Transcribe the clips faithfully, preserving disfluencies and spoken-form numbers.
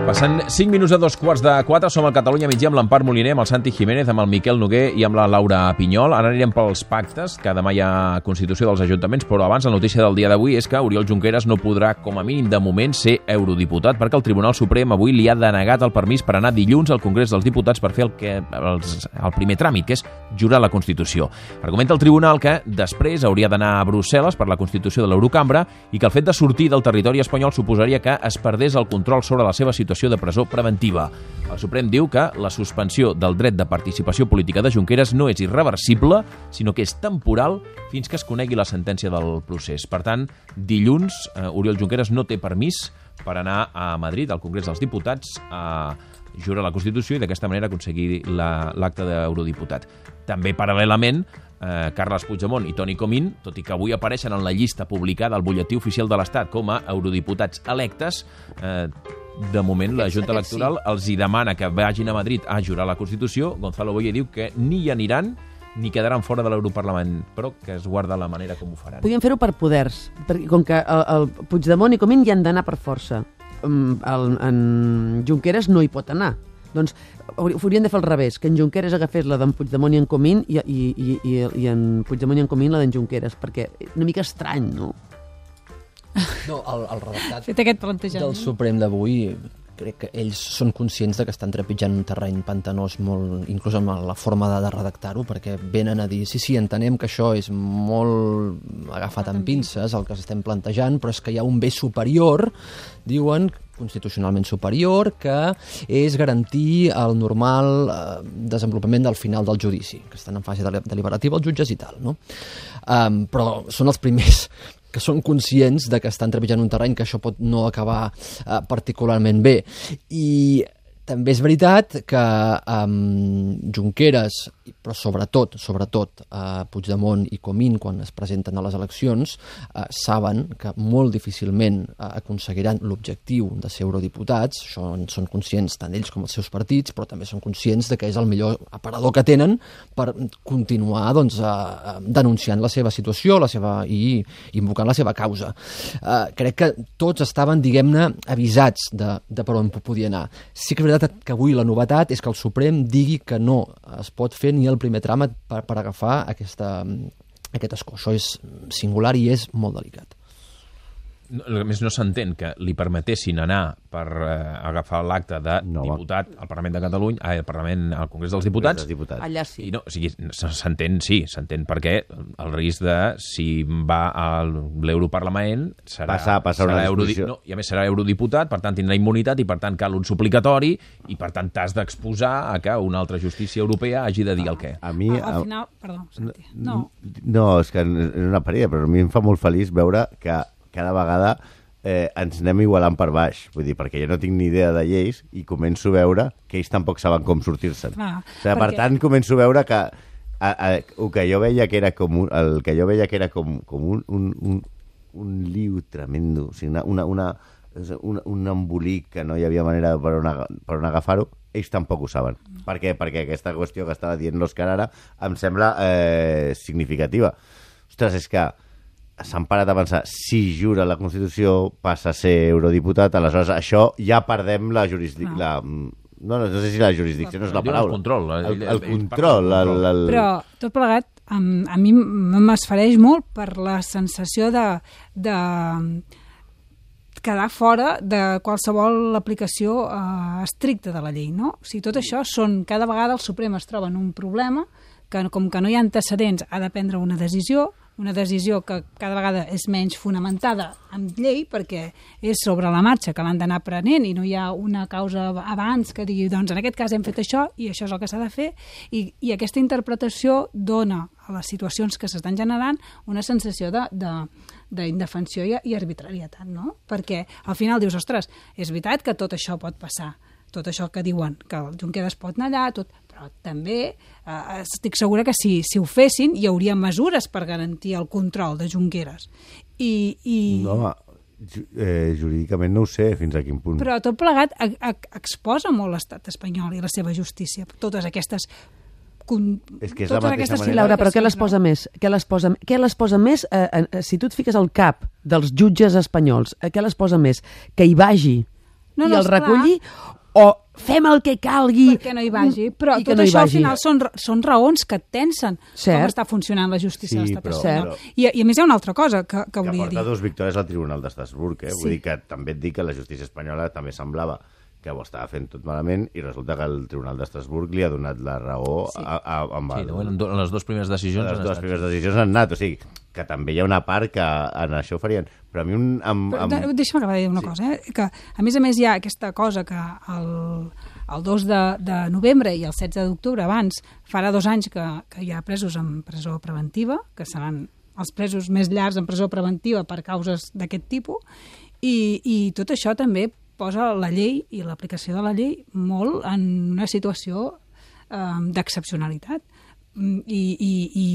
Passant cinc minuts a dos quarts de quatre, som al Catalunya migdia amb l'Empar Moliner, amb el Santi Jiménez, amb el Miquel Noguer i amb la Laura Pinyol. Ara anirem pels pactes, que demà hi ha constitució dels ajuntaments, però abans la notícia del dia d'avui és que Oriol Junqueras no podrà, com a mínim de moment, ser eurodiputat, perquè el Tribunal Suprem avui li ha denegat el permís per anar dilluns al Congrés dels Diputats per fer el, que, els, el primer tràmit, que és jurar la Constitució. Argumenta el Tribunal que després hauria d'anar a Brussel·les per la Constitució de l'Eurocambra i que el fet de sortir del territori espanyol suposaria que es perdés el control sobre la seva situació de presó preventiva. El Suprem diu que la suspensió del dret de participació política de Junqueras no és irreversible, sinó que és temporal fins que es conegui la sentència del procés. Per tant, dilluns, eh, Oriol Junqueras no té permís per anar a Madrid, al Congrés dels Diputats, a jurar la Constitució i d'aquesta manera aconseguir la, l'acte d'eurodiputat. També, paral·lelament, eh, Carles Puigdemont i Toni Comín, tot i que avui apareixen en la llista publicada al butlletí oficial de l'Estat com a eurodiputats electes, eh, de moment la Junta Electoral els hi demana que vagin a Madrid a jurar la Constitució. Gonzalo Boye diu que ni hi aniran ni quedaran fora de l'Europarlament, però que es guarda la manera com ho faran. Podríem fer-ho per poders, perquè com que el, el Puigdemont i Comín hi han d'anar per força. El, en Junqueras no hi pot anar. Doncs haurien de fer al revés, que en Junqueras agafés la d'en Puigdemont i en Comín i, i, i, i, i en Puigdemont i en Comín la d'en Junqueras, perquè una mica estrany, no? No, el, el redactat Fet aquest plantejament del Suprem d'avui, crec que ells són conscients de que estan trepitjant un terreny pantanós molt, inclús amb la forma de, de redactar-ho, perquè venen a dir, sí, sí, entenem que això és molt agafat amb pinces, el que s'estem plantejant, però és que hi ha un bé superior, diuen, constitucionalment superior, que és garantir el normal eh, desenvolupament del final del judici, que estan en fase deliberativa els jutges i tal, no? Um, però són els primers que són conscients de que estan trepitjant un terreny que això pot no acabar eh, particularment bé. I també és veritat que um, Junqueras, però sobretot, sobretot eh, Puigdemont i Comín, quan es presenten a les eleccions, eh, saben que molt difícilment eh, aconseguiran l'objectiu de ser eurodiputats. Això en són conscients tant ells com els seus partits, però també són conscients de que és el millor aparador que tenen per continuar doncs, eh, denunciant la seva situació la seva, i invocant la seva causa. Eh, crec que tots estaven, diguem-ne, avisats de, de per on podia anar. Sí que és veritat que avui la novetat és que el Suprem digui que no es pot fer ni el primer tràmit per, per agafar aquesta, aquest escó. Això és singular i és molt delicat. A més, no s'entén que li permetessin anar per eh, agafar l'acte de no, diputat al Parlament de Catalunya, al Parlament, al Congrés dels Diputats. Dels diputats. Allà sí. I no, o sigui, s'entén, sí, s'entén perquè el risc de, si va a l'Europarlament, serà, passar, passar serà una eurodi... discussió. no, i a més serà eurodiputat, per tant tindrà immunitat i per tant cal un suplicatori i per tant t'has d'exposar a que una altra justícia europea hagi de dir el què. A mi... Al final, perdó, Santi, no. No, és que és una parella, però a mi em fa molt feliç veure que cada vegada eh, ens anem igualant per baix. Vull dir, perquè jo no tinc ni idea de lleis i començo a veure que ells tampoc saben com sortir-se'n. Ah, o sigui, per perquè... tant, començo a veure que a, a, el que jo veia que era com un, el que jo veia que era com, com un, un, un, un liu tremendo, o sigui, una, una, una, un, un embolic que no hi havia manera per on, per on agafar-ho, ells tampoc ho saben. Mm. Per què? Perquè aquesta qüestió que estava dient l'Òscar ara em sembla eh, significativa. Ostres, és que s'han parat a pensar, si jura la Constitució passa a ser eurodiputat, aleshores això ja perdem la jurisdicció. No. La, no, no sé si la jurisdicció no és la paraula. El control. El, el, el ell, control. El, el... Però tot plegat, a, a mi m'esfereix molt per la sensació de, de quedar fora de qualsevol aplicació eh, estricta de la llei, no? O sigui, tot això són, cada vegada el Suprem es troba en un problema que com que no hi ha antecedents ha de prendre una decisió, una decisió que cada vegada és menys fonamentada en llei perquè és sobre la marxa que l'han d'anar prenent i no hi ha una causa abans que digui, doncs en aquest cas hem fet això i això és el que s'ha de fer, i, i aquesta interpretació dona a les situacions que s'estan generant una sensació de, de, d'indefensió i, i arbitrarietat, no? Perquè al final dius, ostres, és veritat que tot això pot passar, tot això que diuen, que el Junqueras pot anar allà, tot, però també eh, estic segura que si, si ho fessin hi hauria mesures per garantir el control de Junqueras. I, i... No, eh, jurídicament no ho sé fins a quin punt. Però tot plegat a, a, exposa molt l'estat espanyol i la seva justícia, totes aquestes... Con... És que és la mateixa manera. Sí, Laura, però què les posa més? Què les posa, què les posa més eh, eh, si tu et fiques al cap dels jutges espanyols, eh, què les posa més? Que hi vagi No, i no, el esclar. reculli, o fem el que calgui perquè no hi vagi. Però i que tot no hi això al vagi. final són, són raons que et tensen Cert. com està funcionant la justícia Sí, de l'estat però- espanyol. però- I, I a més hi ha una altra cosa que, que que volia porta dir. dos victòries al Tribunal d'Estrasburg, eh? Sí. Vull dir que també et dic que la justícia espanyola també semblava que ho estava fent tot malament i resulta que el Tribunal d'Estrasburg li ha donat la raó Sí. a, a, amb Sí, el, de moment, en les dues primeres decisions les han dues estat. primeres decisions han anat, o sigui, que també hi ha una part que en això farien. Però a mi un... Amb, Però, amb... de- Deixa'm acabar de dir una Sí. cosa, eh? que a més a més hi ha aquesta cosa que el, el dos de, de novembre i el setze d'octubre abans farà dos anys que, que hi ha presos en presó preventiva, que seran els presos més llargs en presó preventiva per causes d'aquest tipus, i, i tot això també posa la llei i l'aplicació de la llei molt en una situació eh, d'excepcionalitat. Mm, I, i, i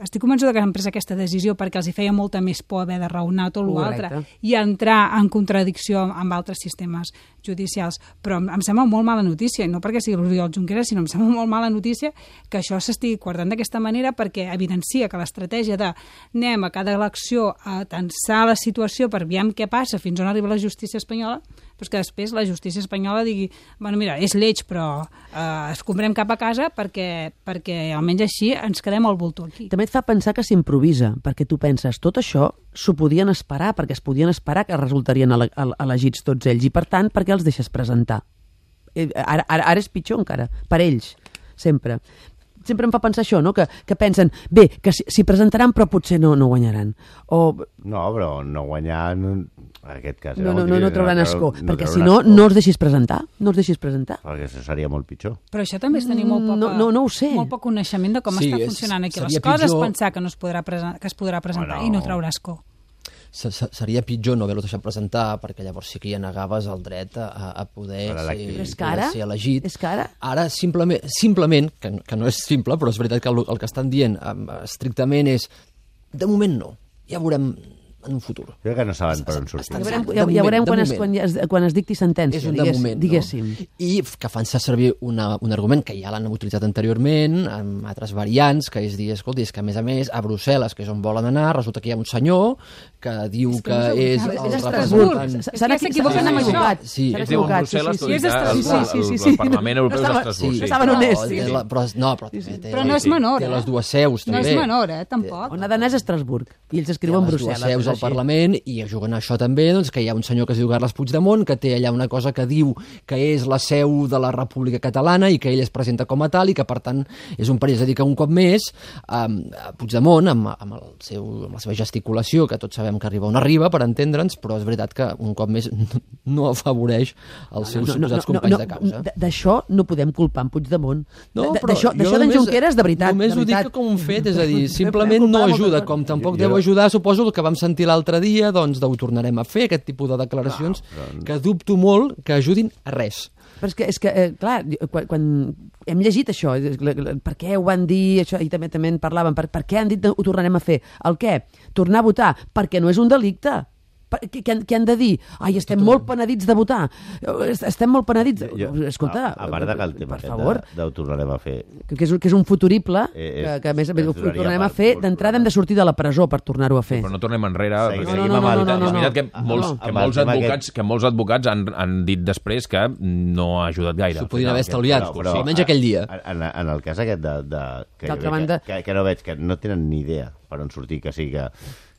estic convençuda que han pres aquesta decisió perquè els hi feia molta més por haver de raonar tot l'altre Correcte. i entrar en contradicció amb altres sistemes judicials. Però em, em sembla molt mala notícia, i no perquè sigui l'Oriol Junqueras, sinó em sembla molt mala notícia que això s'estigui guardant d'aquesta manera, perquè evidencia que l'estratègia de anem a cada elecció a tensar la situació per veure què passa fins on arriba la justícia espanyola, doncs que després la justícia espanyola digui, bueno, mira, és lleig, però eh, escombrem cap a casa perquè, perquè almenys així ens quedem al voltor aquí. També et fa pensar que s'improvisa, perquè tu penses, tot això s'ho podien esperar, perquè es podien esperar que resultarien ele ele elegits tots ells, i per tant, per què els deixes presentar? Eh, Ara, ara, ara és pitjor encara, per ells, sempre. Sempre em fa pensar això, no? que, que pensen, bé, que s'hi si presentaran però potser no, no guanyaran. O No, però no guanyar... No, en aquest cas... no, era no, molt no, no difícil, trauran no escó, trau- perquè trauran si no, escó, no els deixis presentar, no els deixis presentar. Perquè això seria molt pitjor. Però això també és tenir molt poca, No, no, no ho sé. molt poc coneixement de com Sí, està és- funcionant aquí les seria coses, pitjor- pensar que, no es podrà presen que es podrà presentar Bueno. i no traurà escó. Se- se- Seria pitjor no haver-lo deixat presentar, perquè llavors sí que ja negaves el dret a, a poder, Per ser, elegir. Però és que poder ara- ser elegit. és que ara- Ara, simplement, simplement que, que no és simple, però és veritat que el, el que estan dient um, estrictament és de moment no, ja veurem en un futur. Jo crec que no saben per on sortir. Ja De veurem, moment, ja, ja veurem de quan, es, moment. quan, es, quan es dicti sentència, És un de digués, moment, diguéssim. no? I que fan servir una, un argument que ja l'han utilitzat anteriorment, amb altres variants, que és dir, escolti, és que a més a més, a Brussel·les, que és on volen anar, resulta que hi ha un senyor que diu És que que, no sé, és és el Estrasburg. representant... És que S'han s'equivoquen amb això. equivocat. Sí. S'han Ells diuen equivocat, Brussel·les, sí, tu sí, dius sí. el, Sí, sí, sí, sí, sí. el Parlament Europeu No estava- d'Estrasburg. sí, Sí, estaven no, honestos, té sí, sí. la- però, no, però, també té, Però no és menor, té eh? les dues seus, No també. és menor, eh? Tampoc. On ha d'anar és a Estrasburg, i ells Té escriuen les Brussel·les. dues seus és al així. Parlament i juguen a això també, doncs, que hi ha un senyor que es diu Carles Puigdemont, que té allà una cosa que diu que és la seu de la República Catalana i que ell es presenta com a tal i que, per tant, és un perill. És a dir, que un cop més, eh, Puigdemont, amb, amb, el seu, amb la seva gesticulació, que tots sabem que arriba on arriba, per entendre'ns, però és veritat que un cop més no afavoreix els seus suposats companys de causa. d- D'això no podem culpar en Puigdemont. No, D- però D'això jo d'això d'en només- Junqueras, de veritat. Només de ho dic veritat. com un fet, és a dir, Podem simplement no culpar moltes ajuda, coses. com tampoc Jo- deu jo- ajudar, suposo, el que vam sentir l'altre dia, doncs ho tornarem a fer, aquest tipus de declaracions, que dubto molt que ajudin a res. Però és que, és que eh, clar, quan, quan hem llegit això, és- la- la- per què ho van dir, això, i també també en parlàvem, per, per què han dit que ho tornarem a fer? El què? Tornar a votar? Perquè no és un delicte. Per- Què, què, han, què han de dir? Ai, estem molt penedits de votar. Est- Estem molt penedits. Jo- Escolta, a, a part de que el tema per aquest favor, de, de ho tornarem a fer, que, que, és, un- que és un futurible, Eh, que, és- que a més, a més ho ens duraria tornarem a per- fer. per D'entrada hem de sortir de la presó per tornar-ho a fer. Però no tornem enrere. Seguim- perquè seguim No, no, amb el- no, no, no, és veritat que no. molts, No. que Amb el molts tema advocats, aquest- que molts advocats han, han dit després que no ha ajudat gaire. S'ho podien haver estalviat, però- almenys aquell dia. En, en el cas aquest de, de, que, jo D'altra veig banda- que, que, que no veig, que no tenen ni idea per on sortir, que sí que,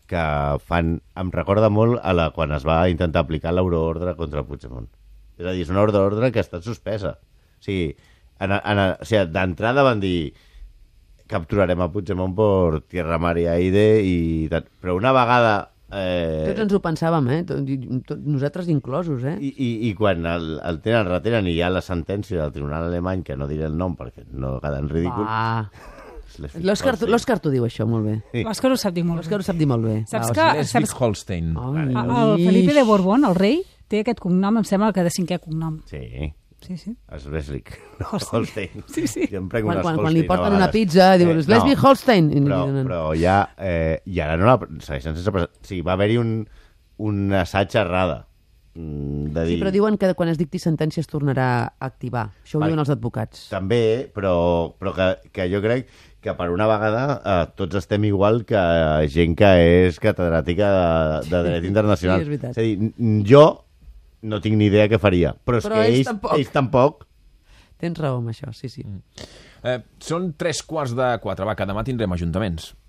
que fan... Em recorda molt a la, quan es va intentar aplicar l'euroordre contra Puigdemont. És a dir, és una ordre d'ordre que ha estat suspesa. O sigui, en, en, o sigui d'entrada van dir capturarem a Puigdemont per tierra, mar i aire, i tal. Però una vegada... Eh, Tots ens ho pensàvem, eh? Tot, i- tot, nosaltres inclosos, eh? I, i, i quan el, el tenen, retenen i hi ha la sentència del tribunal alemany, que no diré el nom perquè no queda en ridícul... Va. les L'Òscar fico- l'Òscar t'ho diu, això, molt bé. Sí. L'Òscar ho sap dir molt L'Òscar bé. ho sap dir molt bé. Saps Va, que- Òscar. Schleswig-Holstein. Ai, El Felipe de Borbón, el rei, té aquest cognom, em sembla que de cinquè cognom. Sí, Sí, sí. Schleswig Holstein. Holstein. Sí, sí. Jo em prenc Quan, unes quan, quan li Holstein a porten una vegades. pizza, diu, Eh, Schleswig-Holstein. I li Però, donen- però ja... Eh, I ara no la... Segueixen sense... presen- O sigui, va haver-hi un, un assaig errada. mm, De dir... Sí, però diuen que quan es dicti sentència es tornarà a activar. Això ho Vale. diuen els advocats. També, però, però que, que jo crec que per una vegada eh, tots estem igual que gent que és catedràtica de, de dret internacional. Sí, és veritat. és a dir, n- jo no tinc ni idea què faria. Però és Però que ells ells, tampoc. ells tampoc... Tens raó amb això, sí, sí. Eh, són tres quarts de quatre. Va, que demà tindrem ajuntaments.